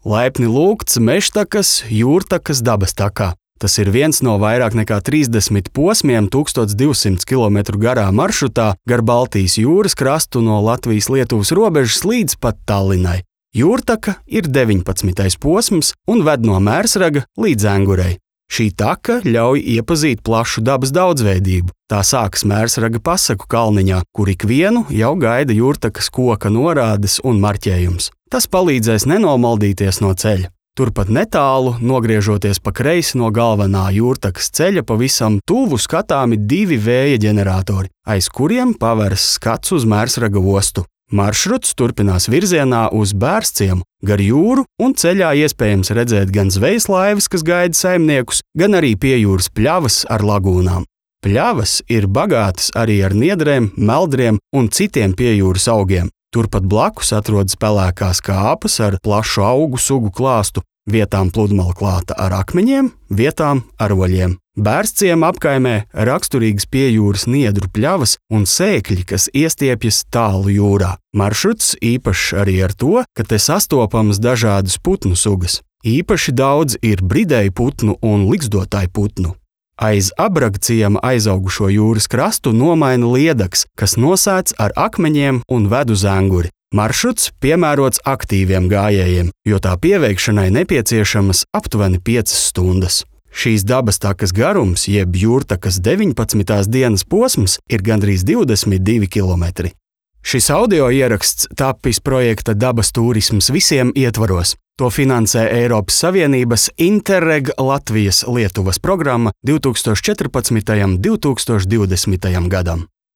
Laipni lūgts Mežtakas Jūrtakas dabastakā. Tas ir viens no vairāk nekā 30 posmiem 1200 km garā maršrutā gar Baltijas jūras krastu no Latvijas-Lietuvas robežas līdz pat Tallinai. Jūrtaka ir 19. posms un ved no Mērsraga līdz Engurei. Šī taka ļauj iepazīt plašu dabas daudzveidību. Tā sākas Mērsraga pasaku kalniņā, kur ikvienu jau gaida Jūrtakas koka norādes un marķējums. Tas palīdzēs nenomaldīties no ceļa. Turpat netālu, nogriežoties pa kreisi no galvenā Jūrtakas ceļa, pavisam tuvu skatāmi 2 vēja ģeneratori, aiz kuriem paveras skats uz Mērsraga ostu. Maršruts turpinās virzienā uz Bērsciemu, gar jūru, un ceļā iespējams redzēt gan zvejas laivas, kas gaida saimniekus, gan arī piejūras pļavas ar lagūnām. Pļavas ir bagātas arī ar niedrēm, meldriem un citiem piejūras augiem. Turpat blakus atrodas pelēkās kāpas ar plašu augu sugu klāstu, vietām pludmale klāta ar akmeņiem, vietām ar oļiem. Bērsciema apkaimē raksturīgas piejūras niedru pļavas un sēkļi, kas iestiepjas tālu jūrā. Maršruts īpašs arī ar to, ka te sastopamas dažādas putnu sugas. Īpaši daudz ir bridēju putnu un liksdotāju putnu. Aiz Abragciema aizaugušo jūras krastu nomaina liedaks, kas nosēts ar akmeņiem un ved uz Enguri. Maršruts piemērots aktīviem gājējiem, jo tā pieveikšanai nepieciešamas aptuveni 5 stundas. Šīs dabastakas garums, jeb Jūrtakas 19. dienas posms, ir gandrīz 22 km. Šis audio ieraksts tapis projekta Dabas turisms visiem ietvaros. To finansē Eiropas Savienības Interreg Latvijas-Lietuvas programma 2014. un 2020. gadam.